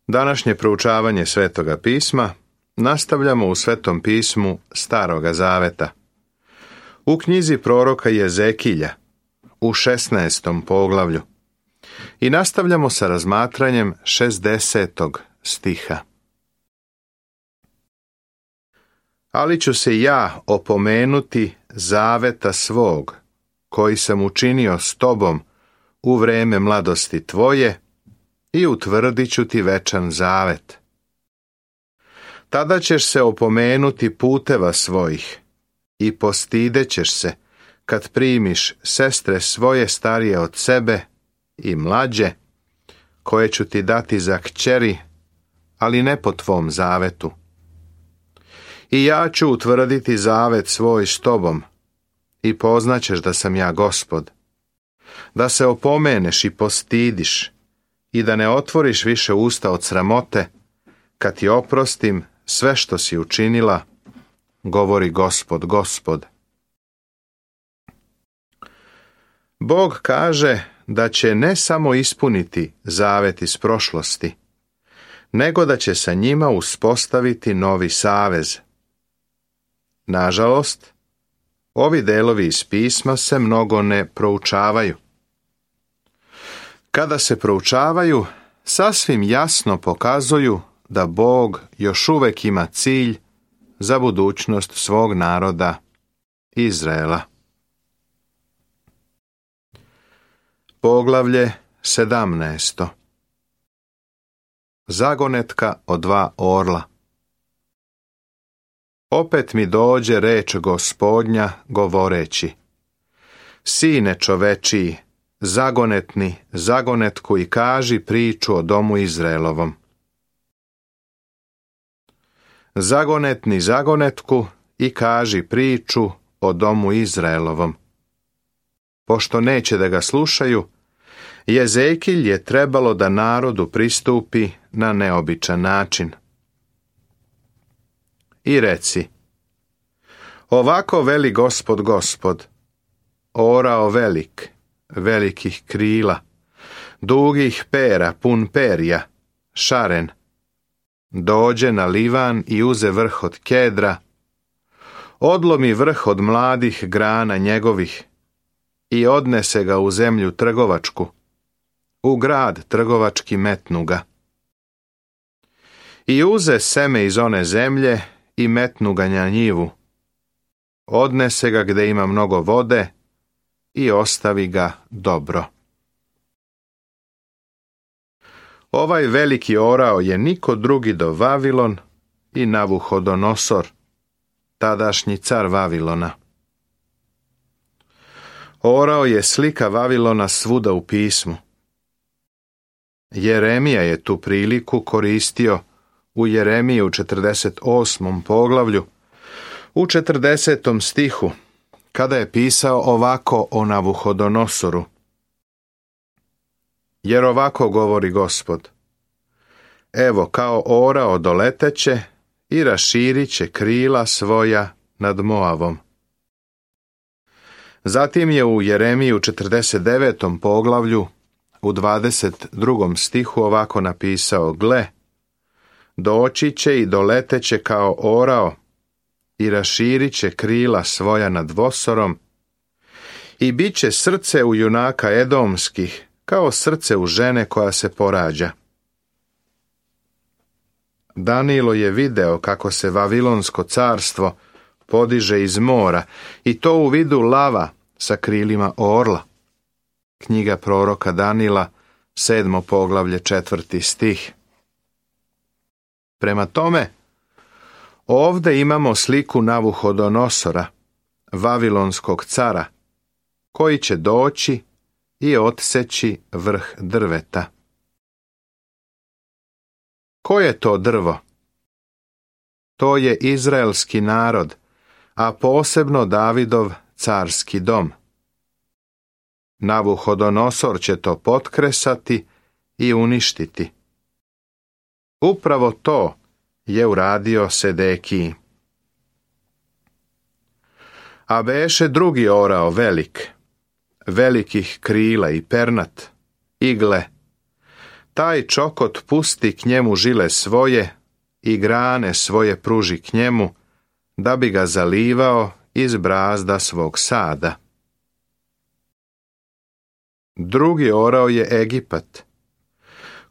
Današnje proučavanje Svetoga pisma nastavljamo u Svetom pismu Staroga zaveta. U knjizi proroka Jezekilja, u 16. poglavlju. I nastavljamo sa razmatranjem 60. stiha. Ali ću se ja opomenuti zaveta svog, koji sam učinio s tobom u vreme mladosti tvoje, i utvrdit ću ti večan zavet. Tada ćeš se opomenuti puteva svojih i postidećeš se kad primiš sestre svoje starije od sebe i mlađe, koje ću ti dati za kćeri, ali ne po tvom zavetu. I ja ću utvrditi zavet svoj s tobom i poznaćeš da sam ja Gospod, da se opomeneš i postidiš i da ne otvoriš više usta od sramote, kad ti oprostim sve što si učinila, govori Gospod, Gospod. Bog kaže da će ne samo ispuniti zavet iz prošlosti, nego da će sa njima uspostaviti novi savez. Nažalost, ovi delovi iz pisma se mnogo ne proučavaju. Kada se proučavaju, sasvim jasno pokazuju da Bog još uvek ima cilj za budućnost svog naroda, Izraela. Poglavlje 17. Zagonetka o dva orla. Opet mi dođe reč Gospodnja govoreći: Sine čovečiji, zagonetni zagonetku i kaži priču o domu Izraelovom. Zagonetni zagonetku i kaži priču o domu Izraelovom. Pošto neće da ga slušaju, Jezekilj je trebalo da narodu pristupi na neobičan način. I reci: Ovako veli Gospod, Gospod, orao velik, velikih krila, dugih pera, pun perja, šaren, dođe na Livan i uze vrh od kedra, odlomi vrh od mladih grana njegovih i odnese ga u zemlju trgovačku, u grad trgovački metnu ga. I uze seme iz one zemlje i metnu ga na njivu, odnese ga gde ima mnogo vode i ostavi ga dobro. Ovaj veliki orao je niko drugi do Vavilon i Navuhodonosor, tadašnji car Vavilona. Orao je slika Vavilona svuda u pismu. Jeremija je tu priliku koristio u Jeremiji u 48. poglavlju, u 40. stihu, kada je pisao ovako o Navuhodonosoru. Jer ovako govori Gospod: Evo, kao orao doleteće i raširit će krila svoja nad Moavom. Zatim je u Jeremiji u 49. poglavlju u 22. stihu ovako napisao: Gle, doći će i doleteće kao orao i raširit će krila svoja nad Vosorom i bit će srce u junaka edomskih kao srce u žene koja se porađa. Danilo je video kako se Vavilonsko carstvo podiže iz mora i to u vidu lava sa krilima orla. Knjiga proroka Danila, 7. poglavlje, 4. stih. Prema tome, ovde imamo sliku Navuhodonosora, Vavilonskog cara, koji će doći i odseći vrh drveta. Ko je to drvo? To je izraelski narod, a posebno Davidov carski dom. Navuhodonosor će to potkresati i uništiti. Upravo to je uradio Sedekiji. A beše drugi orao velik, velikih krila i pernat, igle, taj čokot pusti k njemu žile svoje i grane svoje pruži k njemu, da bi ga zalivao iz brazda svog sada. Drugi orao je Egipat,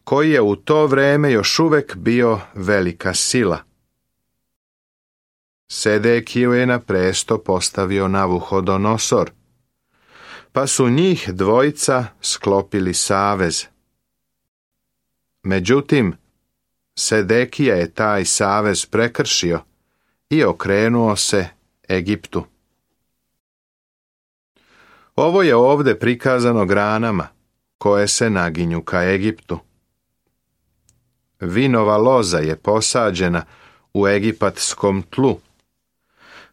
koji je u to vrijeme još uvijek bio velika sila. Sedekiju je na presto postavio Navuhodonosor, pa su njih dvojica sklopili savez. Međutim, Sedekija je taj savez prekršio i okrenuo se Egiptu. Ovo je ovdje prikazano granama koje se naginju ka Egiptu. Vinova loza je posađena u egipatskom tlu.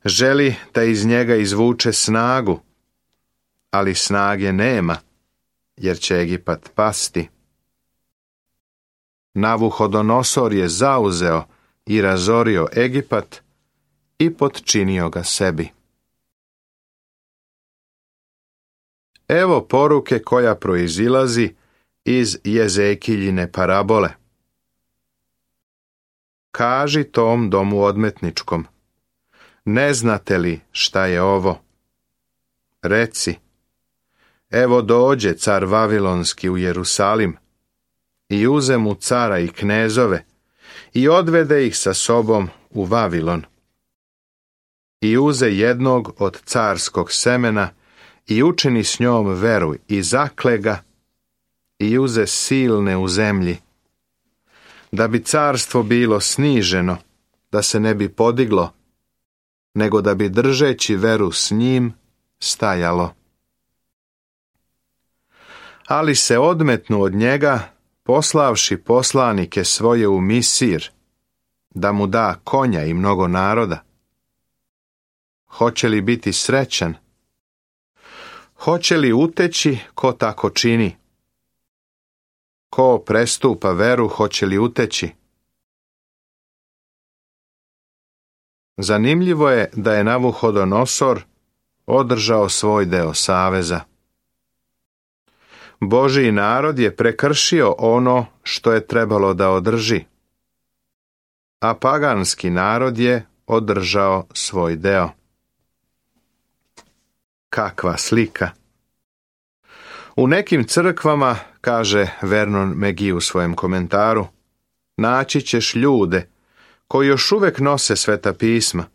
Želi da iz njega izvuče snagu, ali snage nema, jer će Egipat pasti. Navuhodonosor je zauzeo i razorio Egipat i potčinio ga sebi. Evo poruke koja proizilazi iz Jezekiljine parabole. Kaži tom domu odmetničkom, ne znate li šta je ovo? Reci, evo dođe car Vavilonski u Jerusalim i uze mu cara i knezove i odvede ih sa sobom u Vavilon. I uze jednog od carskog semena i učini s njom veru i zakle ga i uze silne u zemlji, da bi carstvo bilo sniženo, da se ne bi podiglo, nego da bi držeći veru s njim stajalo. Ali se odmetnu od njega, poslavši poslanike svoje u Misir, da mu da konja i mnogo naroda. Hoće li biti srećan? Hoće li uteći ko tako čini? Ko prestupa veru, hoće li uteći? Zanimljivo je da je Navuhodonosor održao svoj deo saveza. Božji narod je prekršio ono što je trebalo da održi, a paganski narod je održao svoj deo. Kakva slika! U nekim crkvama, kaže Vernon McGee u svojem komentaru, naći ćeš ljude koji još uvijek nose Sveta pisma,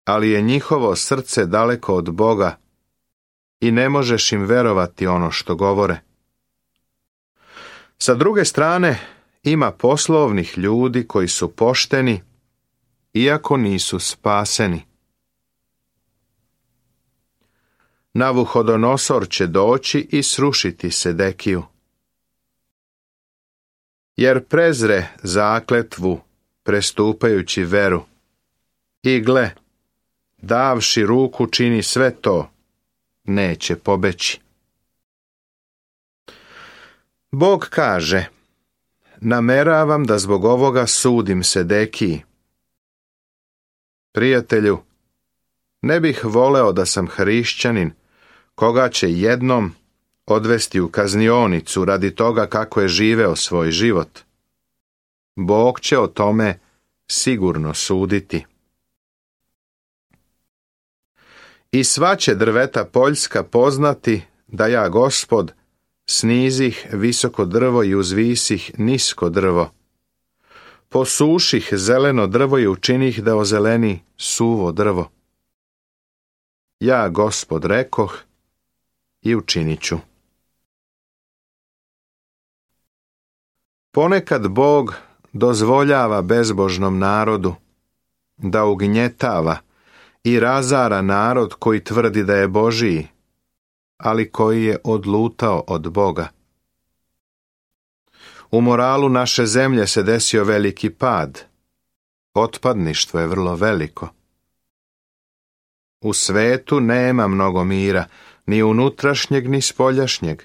ali je njihovo srce daleko od Boga i ne možeš im verovati ono što govore. Sa druge strane, ima poslovnih ljudi koji su pošteni, iako nisu spaseni. Navuhodonosor će doći i srušiti Sedekiju. Jer prezre zakletvu, prestupajući veru, i gle, davši ruku čini sve to, neće pobeći. Bog kaže, nameravam da zbog ovoga sudim Sedekiji. Prijatelju, ne bih voleo da sam hrišćanin, koga će jednom odvesti u kaznionicu radi toga kako je živeo svoj život. Bog će o tome sigurno suditi. I sva će drveta poljska poznati da ja, Gospod, snizih visoko drvo i uzvisih nisko drvo. Posuših zeleno drvo i učinih da ozeleni suvo drvo. Ja, Gospod, rekoh i učinit ću. Ponekad Bog dozvoljava bezbožnom narodu da ugnjetava i razara narod koji tvrdi da je Božiji, ali koji je odlutao od Boga. U moralu naše zemlje se desio veliki pad. Otpadništvo je vrlo veliko. U svetu nema mnogo mira, ni unutrašnjeg, ni spoljašnjeg.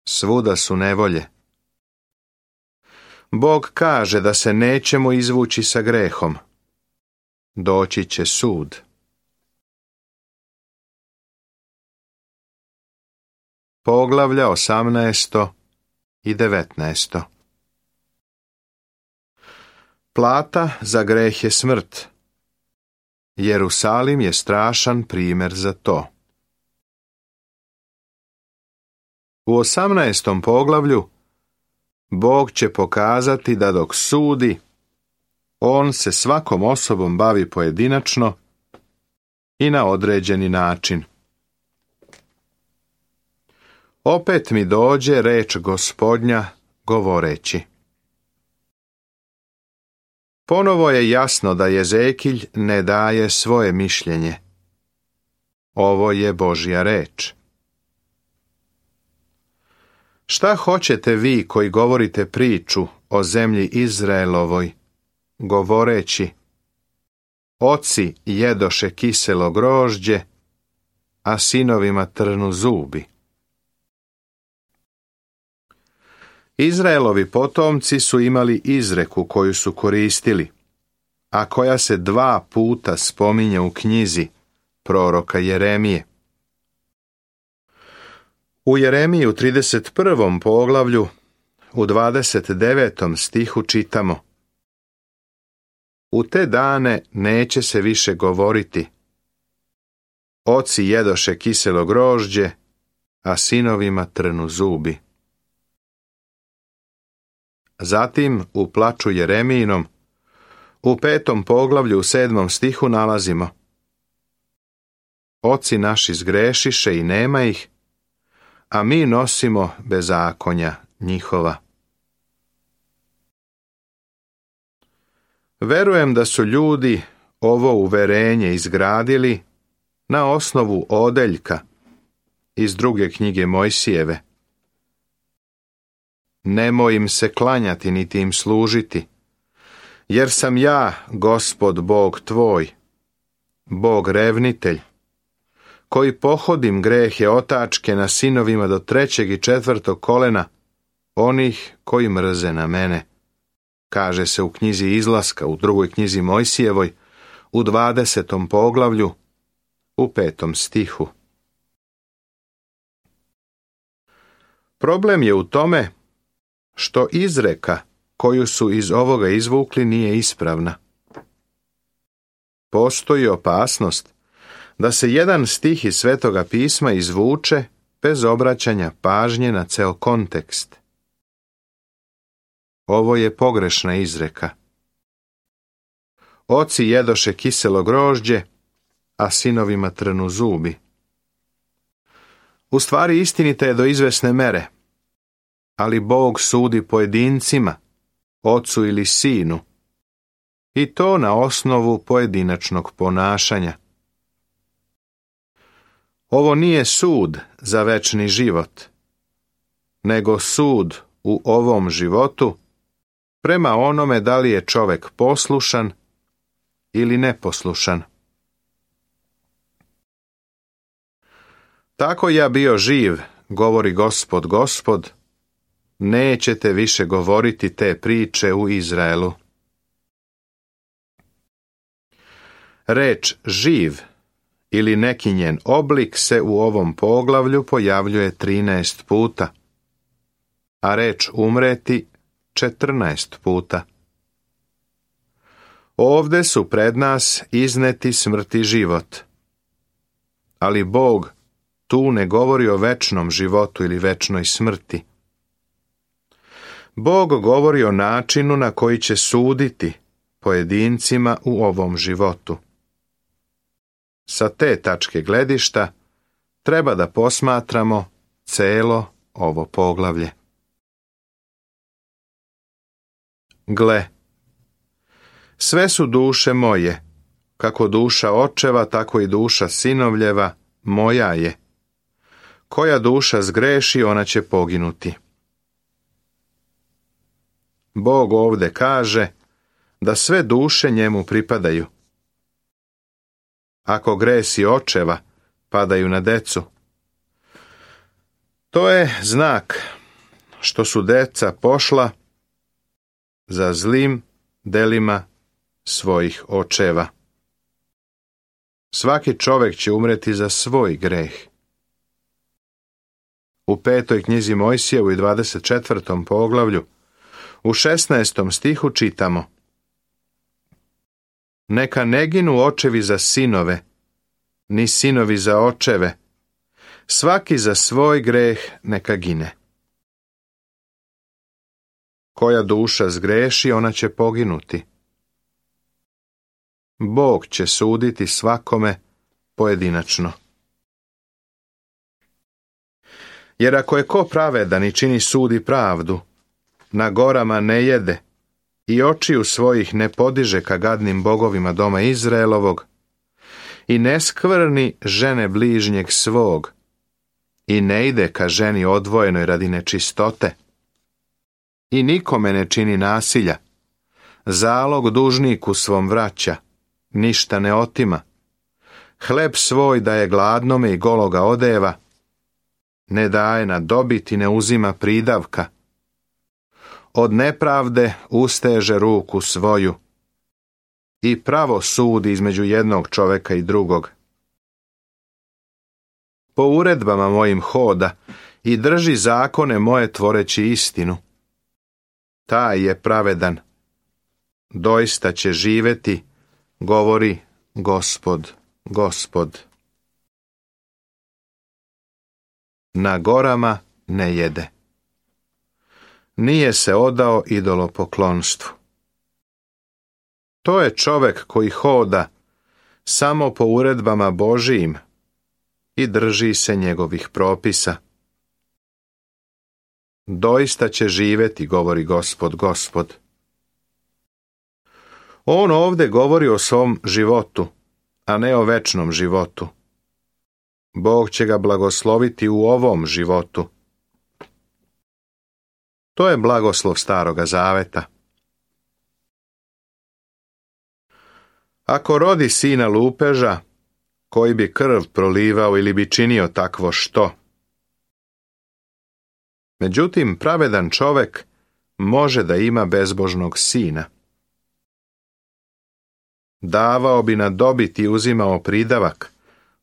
Svuda su nevolje. Bog kaže da se nećemo izvući sa grehom. Doći će sud. Poglavlja 18. i 19. Plata za greh je smrt. Jerusalim je strašan primjer za to. U 18. poglavlju Bog će pokazati da dok sudi, on se svakom osobom bavi pojedinačno i na određeni način. Opet mi dođe reč Gospodnja govoreći. Ponovo je jasno da Jezekilj ne daje svoje mišljenje. Ovo je Božja reč. Šta hoćete vi koji govorite priču o zemlji Izraelovoj, govoreći: oci jedoše kiselo grožđe, a sinovima trnu zubi? Izraelovi potomci su imali izreku koju su koristili, a koja se 2 puta spominje u knjizi proroka Jeremije. U Jeremiji u 31. poglavlju, u 29. stihu čitamo: u te dane neće se više govoriti: oci jedoše kiselo grožđe, a sinovima trnu zubi. Zatim u plaču Jeremijinom, u 5. poglavlju u 7. stihu nalazimo: oci naši zgrešiše i nema ih, a mi nosimo bezakonja njihova. Verujem da su ljudi ovo uverenje izgradili na osnovu odeljka iz 2. knjige Mojsijeve. Nemoj im se klanjati niti im služiti, jer sam ja, Gospod Bog tvoj, Bog revnitelj, koji pohodim grehe otačke na sinovima do 3. i 4. kolena onih koji mrze na mene, kaže se u knjizi Izlaska, u 2. knjizi Mojsijevoj, u 20. poglavlju, u 5. stihu. Problem je u tome što izreka koju su iz ovoga izvukli nije ispravna. Postoji opasnost da se jedan stih iz Svetoga pisma izvuče bez obraćanja pažnje na ceo kontekst. Ovo je pogrešna izreka. Oci jedoše kiselo grožđe, a sinovima trnu zubi. U stvari istinita je do izvesne mere, ali Bog sudi pojedincima, ocu ili sinu, i to na osnovu pojedinačnog ponašanja. Ovo nije sud za večni život, nego sud u ovom životu prema onome da li je čovjek poslušan ili neposlušan. Tako ja bio živ, govori Gospod, Gospod, nećete više govoriti te priče u Izraelu. Reč živ ili neki njen oblik se u ovom poglavlju pojavljuje 13 puta, a reč umreti 14 puta. Ovde su pred nas izneti smrt i život, ali Bog tu ne govori o večnom životu ili večnoj smrti. Bog govori o načinu na koji će suditi pojedincima u ovom životu. Sa te tačke gledišta treba da posmatramo celo ovo poglavlje. Gle, sve su duše moje, kako duša očeva, tako i duša sinovljeva moja je. Koja duša zgreši, ona će poginuti. Bog ovde kaže da sve duše njemu pripadaju. Ako gresi očeva padaju na decu, to je znak što su deca pošla za zlim delima svojih očeva. Svaki čovjek će umreti za svoj greh. U 5. knjizi Mojsijevu i 24. poglavlju, u 16. stihu čitamo: Neka ne ginu očevi za sinove, ni sinovi za očeve, svaki za svoj greh neka gine. Koja duša zgreši, ona će poginuti. Bog će suditi svakome pojedinačno. Jer ako je ko pravedan i čini sud i pravdu, na gorama ne jede i očiju svojih ne podiže ka gadnim bogovima doma Izraelovog i ne skvrni žene bližnjeg svog i ne ide ka ženi odvojenoj radi nečistote i nikome ne čini nasilja, zalog dužniku svom vraća, ništa ne otima, hleb svoj daje gladnome i gologa odeva, ne daje na dobit i ne uzima pridavka, od nepravde usteže ruku svoju i pravo sudi između jednog čoveka i drugog. Po uredbama mojim hoda i drži zakone moje tvoreći istinu. Taj je pravedan, doista će živjeti, govori Gospod, Gospod. Na gorama ne jede. Nije se odao idolopoklonstvu. To je čovek koji hoda samo po uredbama Božijim i drži se njegovih propisa. Doista će živjeti, govori Gospod, Gospod. On ovdje govori o svom životu, a ne o večnom životu. Bog će ga blagosloviti u ovom životu. To je blagoslov Staroga Zaveta. Ako rodi sina lupeža, koji bi krv prolivao ili bi činio takvo što. Međutim, pravedan čovek može da ima bezbožnog sina. Davao bi na dobit i uzimao pridavak.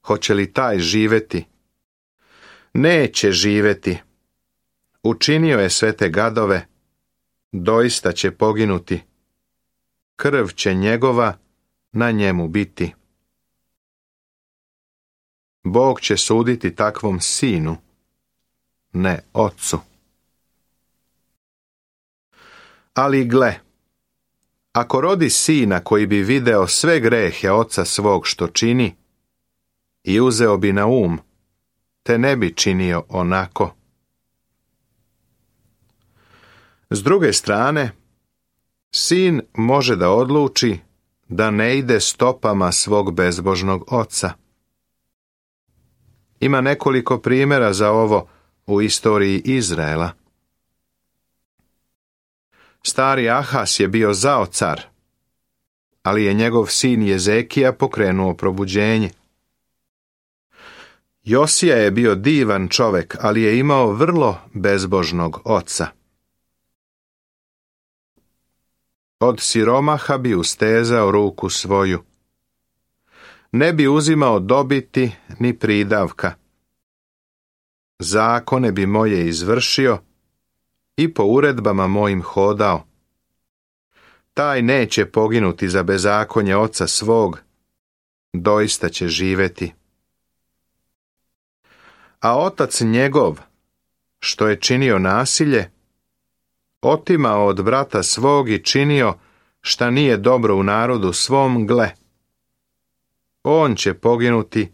Hoće li taj živjeti? Neće živjeti. Učinio je sve te gadove, doista će poginuti. Krv će njegova na njemu biti. Bog će suditi takvom sinu, ne ocu. Ali gle, ako rodi sina koji bi video sve grehe oca svog što čini i uzeo bi na um, te ne bi činio onako. S druge strane, sin može da odluči da ne ide stopama svog bezbožnog oca. Ima nekoliko primjera za ovo u istoriji Izraela. Stari Ahas je bio zao car, ali je njegov sin Jezekija pokrenuo probuđenje. Josija je bio divan čovek, ali je imao vrlo bezbožnog oca. Od siromaha bi ustezao ruku svoju. Ne bi uzimao dobiti ni pridavka. Zakone bi moje izvršio i po uredbama mojim hodao. Taj neće poginuti za bezakonje oca svog, doista će živjeti. A otac njegov, što je činio nasilje, otimao od brata svog i činio šta nije dobro u narodu svom, gle, on će poginuti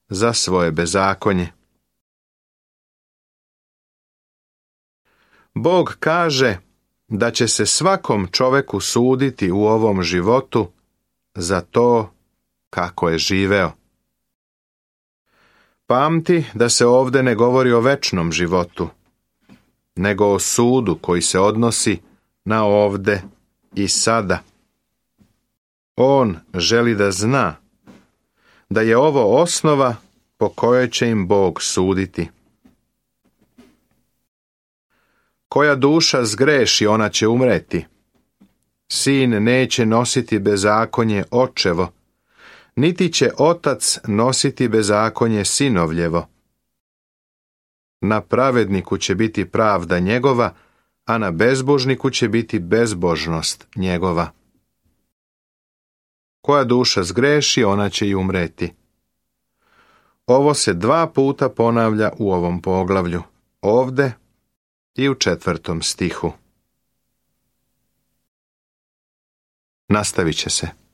za svoje bezakonje. Bog kaže da će se svakom čoveku suditi u ovom životu za to kako je živeo. Pamti da se ovdje ne govori o večnom životu, nego o sudu koji se odnosi na ovde i sada. On želi da zna da je ovo osnova po kojoj će im Bog suditi. Koja duša zgreši, ona će umreti. Sin neće nositi bezakonje očevo, niti će otac nositi bezakonje sinovljevo. Na pravedniku će biti pravda njegova, a na bezbožniku će biti bezbožnost njegova. Koja duša zgreši, ona će i umreti. Ovo se 2 puta ponavlja u ovom poglavlju, ovde i u 4. stihu. Nastavit će se.